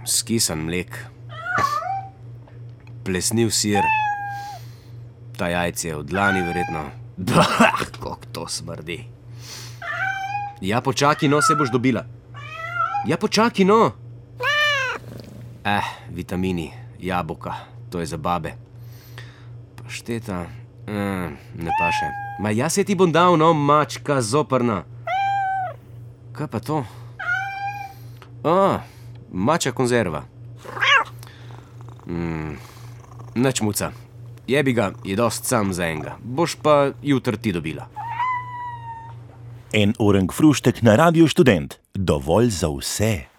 Skisan mlek. Plesniv sir. Ta jajce je od dlani verjetno. Kako to smrdi. Ja, počaki, no, se boš dobila. Ja, počaki, no. Vitamini, jabolka, to je za babe. Pašteta, ne paše. Ma jaz se ti bom dal, no, mačka zoprna. Kaj pa to? Mačja konzerva. Nič muca. Jebi ga, je dost sam za enega. Boš pa jutr ti dobila. En orang fruštek na Radio Študent. Dovolj za vse.